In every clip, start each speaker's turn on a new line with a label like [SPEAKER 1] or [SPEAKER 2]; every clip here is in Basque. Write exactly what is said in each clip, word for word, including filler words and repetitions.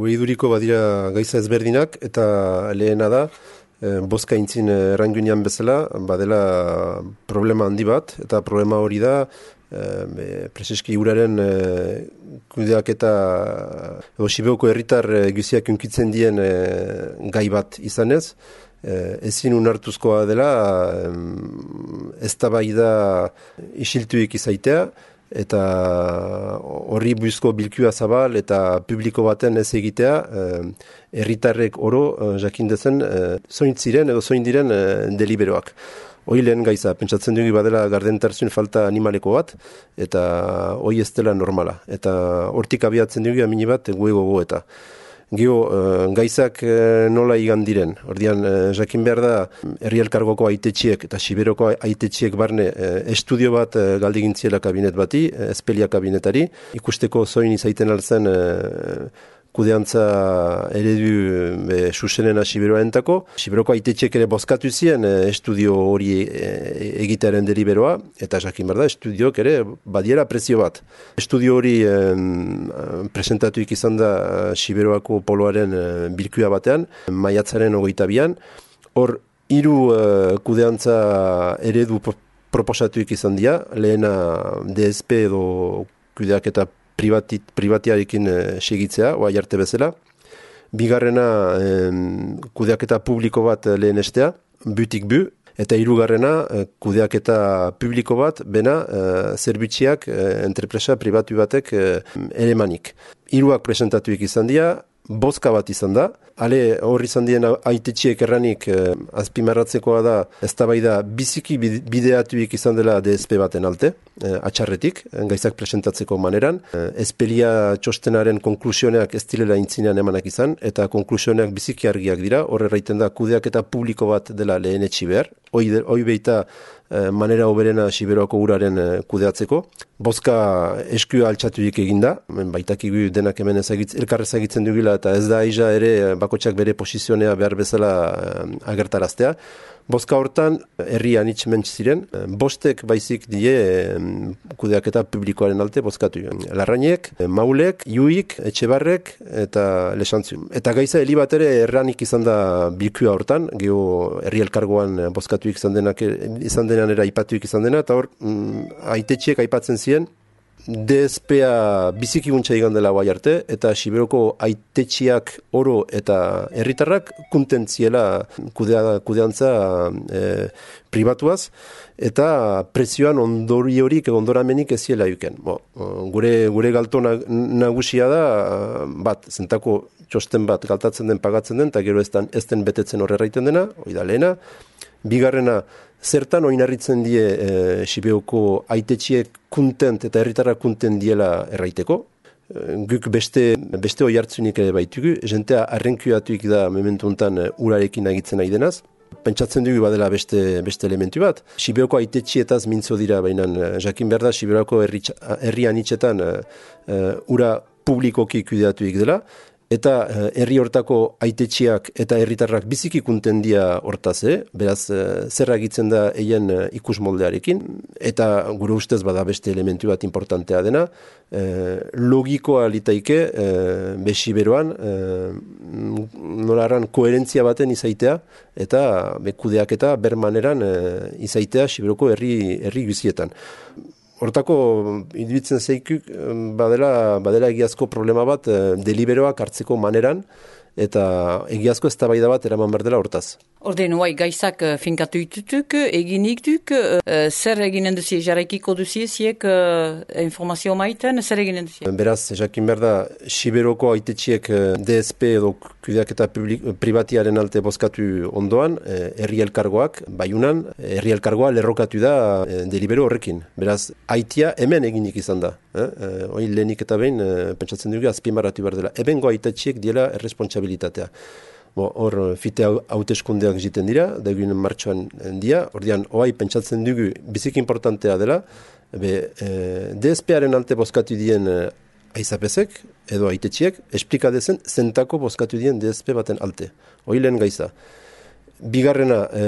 [SPEAKER 1] Gure iduriko badira gaiza ezberdinak, eta lehena da, e, bozka intzin errangunean bezala, badela problema handi bat, eta problema hori da, e, preseski uraren e, kudeak eta edo Sibeoko herritar e, guziak unkitzen dien e, gai bat izanez, e, ezin unartuzkoa dela, e, eztabaida isiltuik izaitea, eta horri buizko bilkua zabal eta publiko baten ez egitea, herritarrek oro jakindezen zoin ziren edo zoin diren deliberoak. Hoi lehen gaiza, pentsatzen dugu badela gardentarzun falta animaleko bat, eta hoi ez dela normala. Eta hortik abiatzen dugu amini bat gue gogo eta. Gio, uh, gaizak uh, nola igan diren. Ordian, uh, jakin behar da, herri elkargoko aitetxiek eta Siberoko aitetxiek barne uh, estudio bat uh, galdegintziela kabinet bati, uh, espelia kabinetari, ikusteko zoin izaiten altzen uh, kudeantza eredu be, susenena Siberoaentako. Siberoko aitetxiek ere bozkatu zien uh, estudio hori uh, egitearen deliberoa, eta jakin behar da, estudioak ere badiera prezio bat. Estudio hori um, presentatuik izan da uh, Siberoako poloaren uh, bilkua batean, maiatzaren hogeita bian. Hor, hiru uh, kudeantza eredu proposatuik izan dira, lehena D S P edo kudeak eta Privati, privatiarekin e, segitzea, oai arte bezala. Bigarrena e, kudeaketa publiko bat lehenestea, butik bu, eta hirugarrena e, kudeaketa publiko bat, bena e, zerbitziak e, entrepresa pribatu batek e, elemanik. Hiruak presentatuik izan dira, bozka bat izan da, ale hor izan dien aitetxiek erranik eh, azpimarratzekoa da, eztabaida biziki bideatuik izan dela D S P baten alte, eh, atxarretik, gaizak presentatzeko maneran. Eh, espelia txostenaren konklusioneak ez direla intzinean emanak izan, eta konklusioneak biziki argiak dira, horre raiten da kudeak eta publiko bat dela lehen etxi behar, hoi, hoi beita eh, manera oberena Siberoako uraren eh, kudeatzeko. Bozka eskua altxatuik eginda, baitakigu denak hemen ezagitz, elkar ezagitzen dugula, eta ez da aiza ere bakotxak bere posizionea behar bezala agertaraztea. Bozka hortan, herri anitz mentz ziren, bostek baizik die kudeaketa publikoaren alte bozkatu. Larrainek, Maulek, Iuik, Etxebarrek eta Lesantzu. Eta gaiza heli bat ere erranik izan da bilkua hortan, geho herri elkargoan bozkatuik izan denak, izan denan era aipatuik izan dena, eta hor, aitetxiek aipatzen ziren, D S P-a biziki guntza igan dela guai arte, eta Siberoko aitetxiak oro eta herritarrak kuntentziela kudea, kudeantza e, pribatuaz, eta prezioan ondori horik ondoramenik eziela yuken. Bo, gure, gure galto nagusia da, bat, zentako txosten bat galtatzen den, pagatzen den, eta gero ez den betetzen horreraiten dena, hori da lehena. Bigarrena, zertan oinarritzen die e, Sibeoko aitetxiek kuntent eta herritarrak kuntent diela erraiteko. E, guk beste, beste oi hartzunik ere baitugu, jentea arrenkuatuik da momentu honetan urarekin agitzen nahi denaz. Pentsatzen dugu badela beste, beste elementu bat. Sibeoko aitetxietaz mintzo dira, baina jakin behar da Sibeoko herri, herri anitzetan e, ura publikoki kudeatuik dela. Eta herri hortako aitetxiak eta herritarrak biziki kuntendia hortaz, eh? Beraz, zer agitzen da eien ikus moldearekin, eta gure ustez bada beste elementu bat importantea dena, eh, logikoa litaike eh, besiberoan eh, nolaran koherentzia baten izaitea, eta bekudeak eta bermaneran eh, izaitea Siberoko herri, herri guzietan. Hortako, iduitzen zeikuk, badela, badela egiazko problema bat deliberoak hartzeko maneran, eta egiazko eztabaida bat eraman behar dela hortaz.
[SPEAKER 2] Orden, oai, gaizak finkatu itutuk, eginik duk, uh, zer eginen duzie, jarraikiko duzie, ziek uh, informazio maiten, zer eginen duzie?
[SPEAKER 1] Beraz, jakin behar da, Siberoko aitetxiek D S P edo kudeak eta privatiaren alte bozkatu ondoan, herri elkargoak, baiunan, herri elkargoa lerrokatu da eh, delibero horrekin. Beraz, aitia hemen eginik izan da. Eh? Eh, Hoi lehenik eta behin, eh, pentsatzen dugu, azpimarratu behar dela. Ebengo aitetxiek diela erresponsabilitatea. Hor, fite hauteskundeak egiten dira, da eginen martxoan dia, ordean, oai pentsatzen dugu biziki importantea dela, be, e, D S P-aren alte bozkatu dien e, aizapezek, edo aitetxiek, esplika dezen, zentako bozkatu dien D S P baten alte. Hoi lehen gaiza. Bigarrena, e,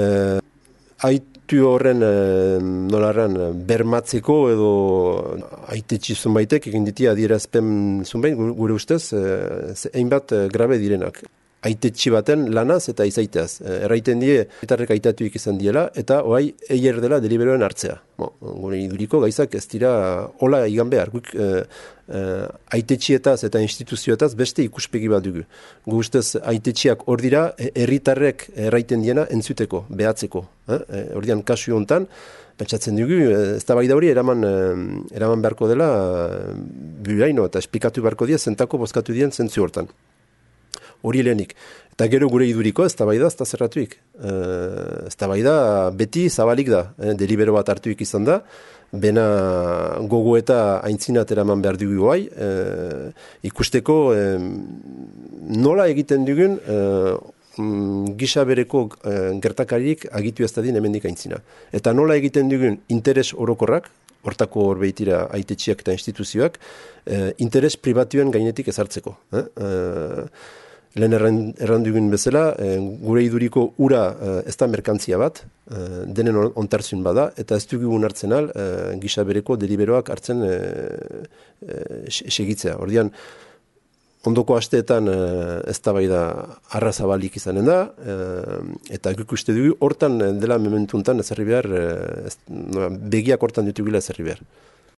[SPEAKER 1] ait, struktu horren e, nolarran bermatzeko edo aitetxi zunbaitek egin ditia adierazpen zunbait gure ustez e, hainbat e, grabe direnak. Aitetxi baten lanaz eta izaiteaz. E, erraiten die, etarrek aitatuik izan diela, eta oai eier dela deliberoen hartzea. Bo, gure iduriko gaizak ez dira hola igan behar. Guk e, e, aitetxietaz eta instituzioetaz beste ikuspegi bat dugu. Gu ustez aitetxiak hor dira, herritarrek erraiten diena entzuteko, behatzeko. Eh? Ordian kasu hontan, pentsatzen dugu, ez da bai da hori eraman, eraman beharko dela buraino eta esplikatu beharko dia zentako bozkatu dien zentzu hortan. Hori lehenik. Eta gero gure iduriko ez da bai da, ez da zerratuik. E, ez da bai da, beti zabalik da. E, delibero bat hartuik izan da, bena gogo eta aintzinat eraman behar dugu guai, e, ikusteko e, nola egiten dugun e, gisa bereko e, gertakarik agitu ez da din hemendik aintzina. Eta nola egiten dugun interes orokorrak, hortako horbeitira aitetxiak eta instituzioak, e, interes pribatuen gainetik ezartzeko. Eh? E, Lehen errandugun bezala, e, gure iduriko ura e, ez da merkantzia bat, e, denen ontarzun bada, eta ez dugu hartzen al, e, gisa bereko deliberoak hartzen e, e, segitzea. Ordian, ondoko asteetan e, ez da bai da arrazabalik izanen da, e, eta guk uste dugu, hortan dela mementuntan ez herri behar, e, ez, no, begiak hortan ditugula ez herri behar.